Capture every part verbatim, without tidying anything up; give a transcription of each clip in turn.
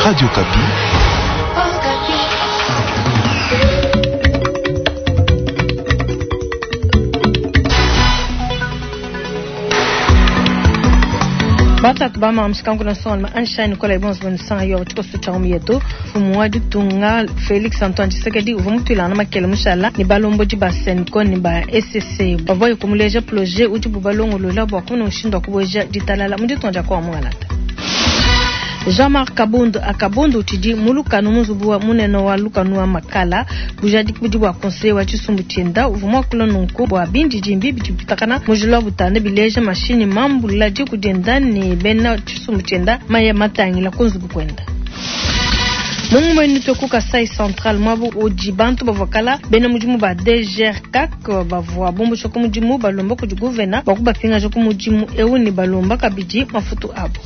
Radio Okapi. Batatu ba mshikangu na son Einstein kola ibons bon sang yo tiko cha yetu fumu wa ditunga Felix Antoine Tshisekedi uvua mutuilana makele mushala ni balomboji ba CENCO ni ba S C bavua kumuleja projet udi bubalongolola bua kumona mushindu wa kubueja ditalala mu ditunga dia kwa Mwangalata. Jean-Marc Kabund akabundu utidi mulukanu muzubu wa munene wa lukanu wa makala bujadi budi bua conseil wa tshisumbu tshienda uvua muakula nunku bua bindidimbi bidi bipitakana mujila wa butanda bileja mashini mambula diku dienda ne bena tshisumbu tshienda maya matangila ku nzubu kuenda. Mungu mwenu toku Kasai Central mwabu udi bantu bavua bena mudimu ba D G R C A C bavua bumbusha ku mudimu balomba kudi gouverneur bakubapingaja ku mudimu eu ne balomba kabidi mafutu abo.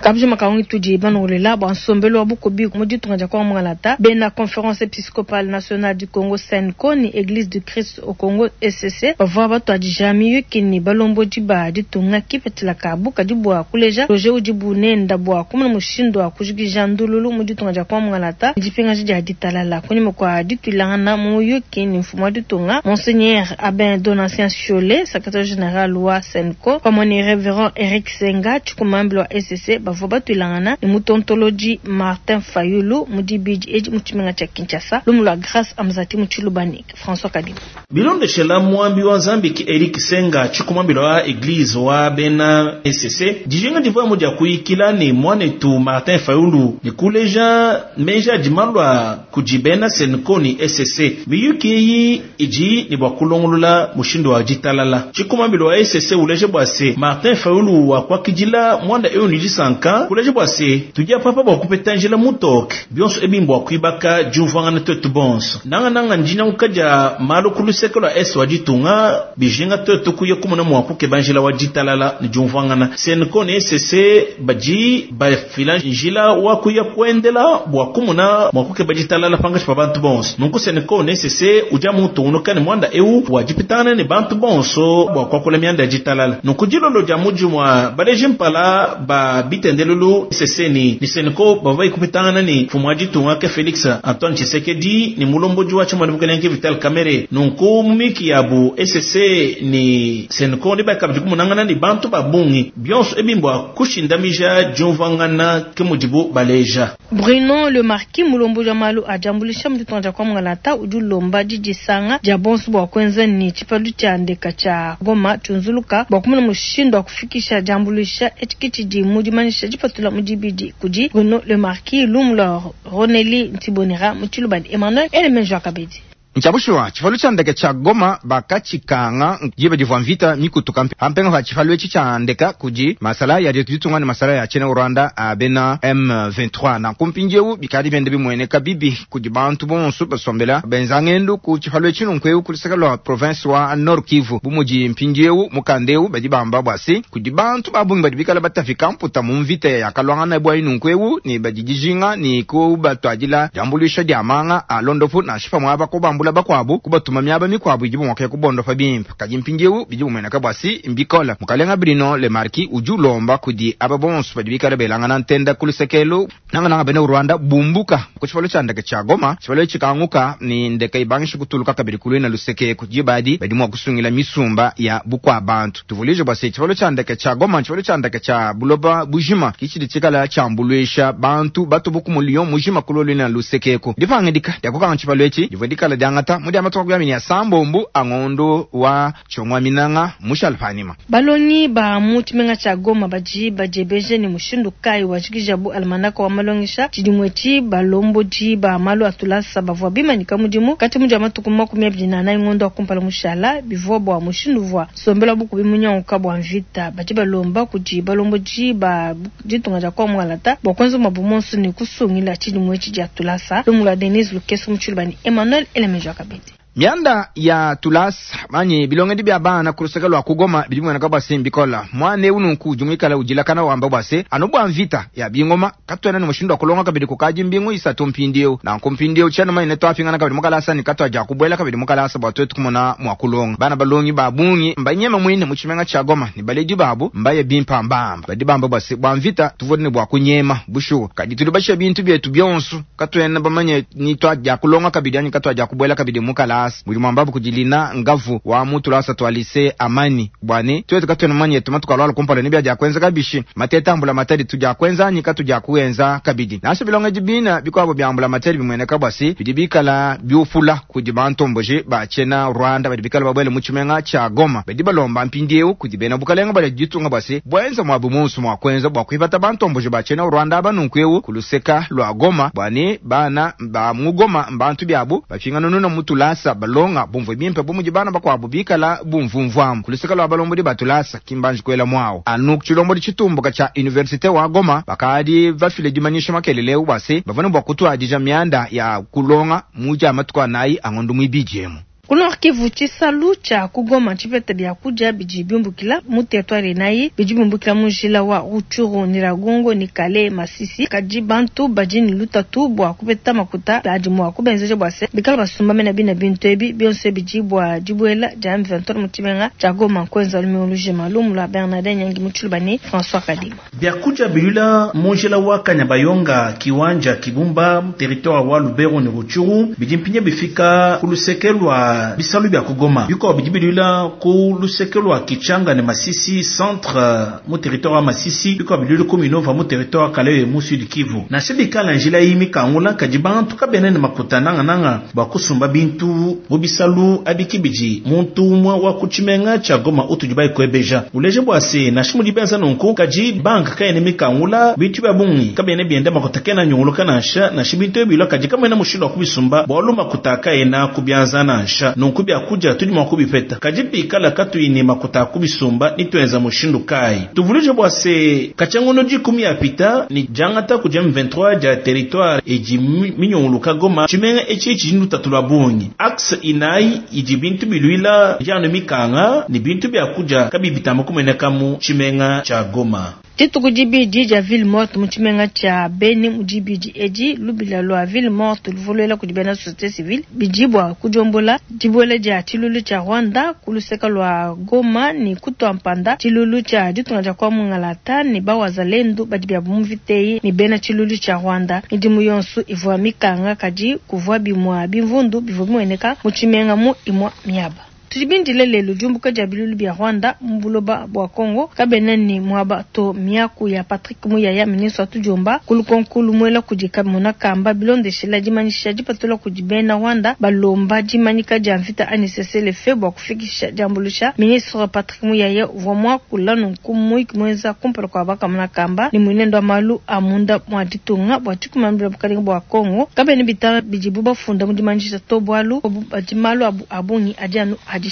Kabji makaungi tudi banolela bwa nsombelo wa bukobi mu ditunga dia kwa Mwangalata bena Conférence Épiscopale Nationale du Congo CENCO ni Église du Christ au Congo S C bavua batuadija miyuki ni balombodi ba ditunga kipetela kabu kadi bua kuleja projet udi bunenda bua kumona mushindu wa kujikija ndululu mu ditunga dia kwa Mwangalata dipingaji dia ditalala kunyima kwa dituilangana mu muyuki ni mfumu wa ditunga Monseigneur Abin Donatien Chollet secrétaire général wa CENCO pamwe ni Révérend Eric Senga chikumambilo wa S C bavua batuilangana ni mutontoloji Martin Fayulu mudibidi edi mutshimenga tshia Kinshasa lumu lwa Grâce Amzati mutshilubani François Kadima bilondeshela mwambi wa Nzambi Eric Senga chikumambilo wa Eglise wa bena S C dijinga divua mudia kuikila ni mwanetu Martin Fayulu ni kuleja meja dimalwa kujibena CENCO ni S C miyuki iyi iji ni bwa kulongolola mushindu wa ditalala chikumambilo wa S C uleje bwase Martin Fayulu wa kwakijila mwanda eyo ni disanka kuleje bwase tujia papa bwa kupeta njila mutoke bionso ebimbwa kuibaka jumvangana tetu bonso nanga nanga njina ukaja malo kuluseke lwa S wa ditunga bijinga tetu kuye kumona mwa kukeba njila wa ditalala ni jumvangana CENCO ni S C baji bafila njila wa kuya kuendela bwa kumona mwa kukeba ditalala pangashi pa bantu bonso nunku CENCO ni S C uja mutu unokani mwanda eu wa jipitana ni bantu bonso bwa kwakula mianda ya ditalala nunku jilolo ja muji mwa baleji mpala ba bitendelulu S C ni ni CENCO bavai kupitana ni fumu ditunga ke Felix Antoine Tshisekedi ni mulomboji wa chama bukelenge Vital Kamerhe nunku mumiki yabu S C ni CENCO ni bakabidi kumunangana ni bantu babungi bionso ebimbwa kushindamija jumvangana kemudibu baleja. Bruno Le Marquis mulomboji wa malu ajambulisha mu ditunga dia kwa Mwangalata udi ulomba didisanga dia bonso bua kuenza ni tshipalu tshia ndeka tshia Goma tshiunzuluka bua kumona mushindu wa kufikisha diambuluisha etshi tshidi mu dimanyisha dipatula mu dibidi kudi Bruno Le Marquis lumu lwa Roneli Ntibonera mu tshilubadi Emmanuel Elemenjo Akabedi. Nchabushwa chifalu cha ndeke cha Goma bakachikanga jibe divwa mvita mikutuka ampenga va chifalu echi cha ndeka kuji masala ya ditunga ni masala ya China Rwanda abena M vingt-trois na kumpinjeu bikadi bende bimweneka bibi kuji bantu bonso basombela benzangendu ku chifalu echi nunkweu kulisaka lwa province wa Nord Kivu bumuji mpinjeu mukandeu badi bamba bwasi kuji bantu babungi badi bikala batafika mputa mu mvita ya kalwangana bwa inunkweu ni badijijinga ni ku batwadila jambulisha diamanga alondofu na shifa mwaba ko bambula bakwabu kubatuma myaba mikwabu ijibu mwaka kubondo fa bimpa kaji mpinjewu bijibu mwenaka bwasi mbikola mukalenga Bruno Le Marquis ujulomba kudi ababonso badibikala belanga na ntenda kulusekelo nanga nanga bene Rwanda bumbuka ku chifalo cha ndeke cha Goma chifalo chikanguka ni ndeke ibangisha kutuluka kabiri kulwena luseke kujibadi badi mwa kusungila misumba ya bukwa bantu tuvulije bwasi chifalo cha ndeke cha Goma chifalo cha ndeke cha Buloba bujima kichidi chikala chambulwisha bantu batubuku mulio mujima kulolwena lusekeko dipangidika dyakukanga chifalo echi divodikala dyanga mudi amatoka kuyamini ya sambombu angondo wa chongwa minanga mushalpanima balongi ba mu tshimenga tsha Goma baji bajebeje ni mushindu kai wa tshikijabu almanaka wa malongisha tshidimwe balomboji ba malu atulasa bavua bimanyika mudimu kati mudi amatuku makumi abidi na anayi ngondo akumpala mushala bivua bua mushindu vua sombela bukubi munyanguka bua mvita baji balomba kudi balomboji ba ditunga dia kwa Mwangalata bua kuenza mabu monso ni kusungila tshidimwe dia tulasa lumu lwa Denise Lukeso mu tshilubani Emmanuel Elemejo Kabedi. Mianda ya tulasa manyi bilongedi bya bana kulusaka lwa kugoma bidi bimweneka bwa se mbikola mwana eu nunku udi muikala udilakana wamba bwa se anu bwa mvita ya bingoma katwena ni mushindu wa kulonga kabidi kukaji mbingu isatu mpindieu nanku mpindieu tshiena manyi twafingana kabidi mukalasa ni katwaja kubwela kabidi mukalasa bwa twetu kumona mwa kulonga bana balongi ba bungi mbanyema mwine mu tshimenga tshia Goma ni baledi babu mbaye bimpa mbamba badi bamba bwa se bwa mvita tuvodi ne bwa kunyema bushuwa kadi tuli bashe bintu byetu byonso katwena bamanye ni twaja kulonga kabidi anyi katwaja kubwela kabidi mukalasa buli mwambabu kujilina ngavu wa mutu lasa twalise amani bwane twetu katwena manye tumatukalwala kumpala ni byaja kwenza kabishi mateta ambula matari tuja kwenza anyi katuja kuenza kabidi nasho bilonga jibina bikwabo byambula matari bimweneka bwasi bidi bikala byufula kudi bantomboje bachena Rwanda badi bikala babwele mu tshimenga tsha Goma badi balomba mpindieu kudi bena bukalenga bali jitunga bwasi bwenza mwabu munsu mwa kwenza bwa kuibata bantomboje bachena Rwanda abanunkweu kuluseka lwa Goma bwane bana ba mugoma mbantu byabu bafingana nuna mutulasa balonga bumvu bimpe bumuji bana bakwabo bikala bumvumvwamu kuluseka lwa balombodi batulasa kimbanji kwela mwao anu chilombodi chitumbuka cha universite wa Goma bakadi bafile dimanyisha makeleleu bwase bavana bwa kutwadija myanda ya kulonga muja matukwa nayi angondo mwibijemu. Ku Nord Kivu tshisalu tshia kugoma tshipeta bya kudia bidi biumbukila mu territoire nayi bidi biumbukila mu njila wa Rutshuru Nyiragongo ni Kale Masisi kadi bantu badi ne lutatu bua kupeta makuta adi mua kubenzeja bua se bikala basumba mena bina bintu ebi bionso bidi bua dibuela dia M vingt-trois mu tshimenga tshia Goma kwenza lumingu lujima lumu lua Bernardin Nyangi mu Tshilubani François Kadima. Bya kudia bilula mu njila wa Kanyabayonga kiwanja Kibumba territoire wa Lubero ni Rutshuru bidi mpinye bifika ku luseke lwa bisalu bya kugoma biko bidibilula ku luseke lwa Kichanga ne Masisi centre mu territoire wa Masisi biko bilulu ku Minova mu territoire Kalehe mu Sud Kivu na shibikala njila yimi kangula kadi bantu kabene ne makuta nanga nanga bakusumba bintu mu bisalu abikibiji muntu umwe wa kuchimenga cha Goma utujibai kwebeja uleje bwase na shimu dibenza nunku kadi banka kayene mikangula bintu bya bungi kabene bienda makuta kena nyunguluka nansha na shibintu bilwa kadi kamena mushindo kubisumba bwalu makuta kayena kubyanza nansha nunku bya kuja tudi mwa kubipeta kadi bikala katuine makuta kubisumba nitwenza mushindu kai tuvulije bwase kachangono jikumi ya pita ni jangata kuja M vingt-trois ja territoire eji minyunguluka Goma chimenga echi chindu tatulwa bungi axe inai iji bintu bilwila jano mikanga ni bintu bya kuja kabibitama kumeneka mu chimenga cha Goma. Dituku dibidi dia ville morte mu tshimenga tshia Beni mu dibidi edi lubila lwa ville morte luvoluela kudi bena société civile bidi bua kudiombola dibuela dia tshilulu tshia Rwanda kuluseka lwa Goma ni kutua mpanda tshilulu tshia ditunga dia kwa mungalata ni bawazalendu badi bia muviteyi ni bena tshilulu tshia Rwanda midimu yonso ivua mikanga kadi kuvua bimua bimvundu bivua bimueneka mu tshimenga mu imua miaba. Tudibindile lelo diumbuka dia bilulu bia Rwanda mu buloba bua Congo kabena ni mwaba to miaku ya Patrick Muyaya ministre wa tudiomba kulukonkulu mwela kudi kamona kamba bilondeshela dimanyisha dipatula kudi bena Rwanda balomba dimanyika dia mvita A N C C le fe bua kufikisha diambulusha ministre Patrick Muyaya uvua muakula nunku muiki muenza kumpala kua bakamona kamba ni mwenendo wa malu amunda mwa ditunga bua tshikumambila bukalenga bua Congo kabena bitaba bidibu bafunda mu dimanyisha to bualu badi malu abu abungi adi anu adi.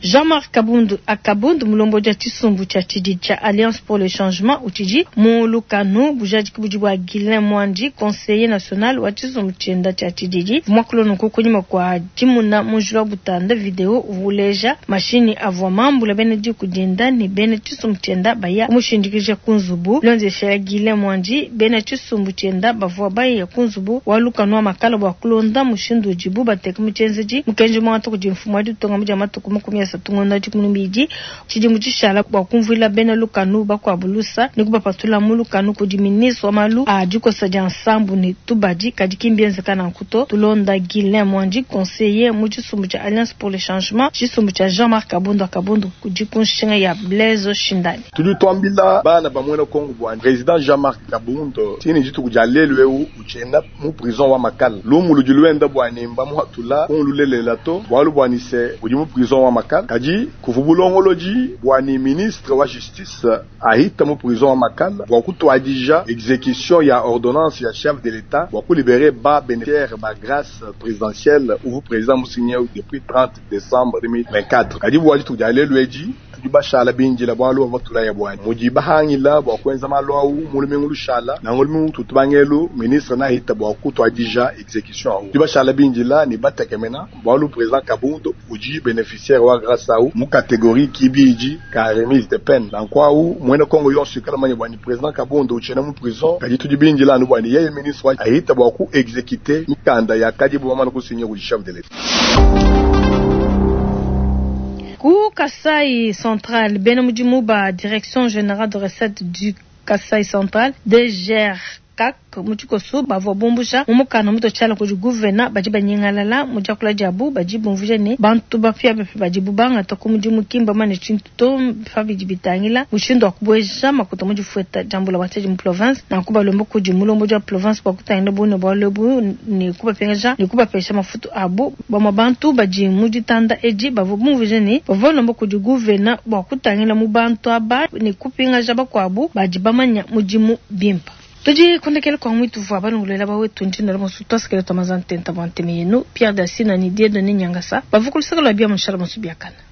Jean-Marc Kabundu Akabundu mulombo dia tshisumbu tshia tshidi tshia Alliance pour le changement utshidi mu lukanu bujadiki budi bua Guilain Mwandi conseiller national wa tshisumbu tshienda tshia tshididi mwakulo kunyima kwa dimuna mujula butanda video uvuleja mashini avua mambula bena diku dienda ne bena tshisumbu tshienda baya kumushindikija kunzubu lonzesha Guilain Mwandi bena tshisumbu tshienda bavua baya kunzubu wa lukanu wa makala bua kulonda mushindu udibu bateka mu tshienzedi mukenji mwatu kudi mfumu wa ditunga mu dia matuku makumi asatu ngonda dikumi mbidi tshidimu tshishala bua kumvuila bena lukanu bakuabulusa ni kubapatula mu lukanu kudi ministre wa malu a dikosa dia nsambu ne tubadi kadi kimbienzeka nankuto tulonda Guilain Mwandi conseiller mu tshisumbu tshia Alliance pour le changement tshisumbu tshia Jean-Marc Kabundu Kabundu kudi kunshinga ya Blaise Shindani tudi twambila bana bamwena Kongo bwa président Jean-Marc Kabundu tini dituku dia lelu eu uchenda mu prison wa Makala lumu ludi luenda bwa nimba muhatula kunlulelela to bwalu bwa nise udi mu prison wa Makala kadi kuvubulongoloji bwa ni ministre wa justice ahita mu prison wa Makala bwa kutwadija exécution ya ordonnance ya chef de l'État bwa kulibérer ba bénéficiaire ba grâce présidentielle uvu président musigné depuis trente décembre deux mille vingt-quatre kadi bwa dituku dia lelu edi Tudi bashala bindila bwalu bavwa tulaya bwani mudi bahangila bwa kwenza malu awu mulumingu lushala na ngulumingu tutubangelu ministre nahita bwa kutwadija exécution awu tudi bashala bindila ne batekemena bwalu président Kabund udi bénéficiaire wa grâce awu mu catégorie kibidi ka remise de peine nanku awu mwene Kongo yonso ikala manya bwani président Kabund uchena mu prison kadi tudi bindila anu bwani yeye ministre wa ahita bwa ku exécuter mikanda ya kadi bwamana kusinya kudi chef de l'État. Ku Kasai Central, bena mudimu ba Direction Générale de Recettes du Kasai Central DGR kak mutshikoso bavua bumbusha mu mukanda mutotshala kudi guvena badi banyingalala mu diakula diabu badi bumvuija ne bantu bapiabapia badi bangata ku mudimu kimba mane tshintu to pa bidi bitangila mushindu wa kubueja makuta mu difueta dia mbula matadi mu province nanku balomba kudi mulombodi wa province bua kutangila bune bualu ebu ne kubapingaja ne kubapesha mafutu abu bamue bantu badi mu ditanda edi bavua bumvuija ne bavua balomba kudi guvena bua kutangila mu bantu aba ne kupingaja bakuabu badi bamanya mudimu bimpe. Tudi kundekele kwa mwitu vwa balungulela bawetu ndina la mosu twasikele twamazantenta bwa nteme yenu Pierre Dasina ni Dieudonné Nyangasa bavukulusaka lwa bia mushala mosu biakana.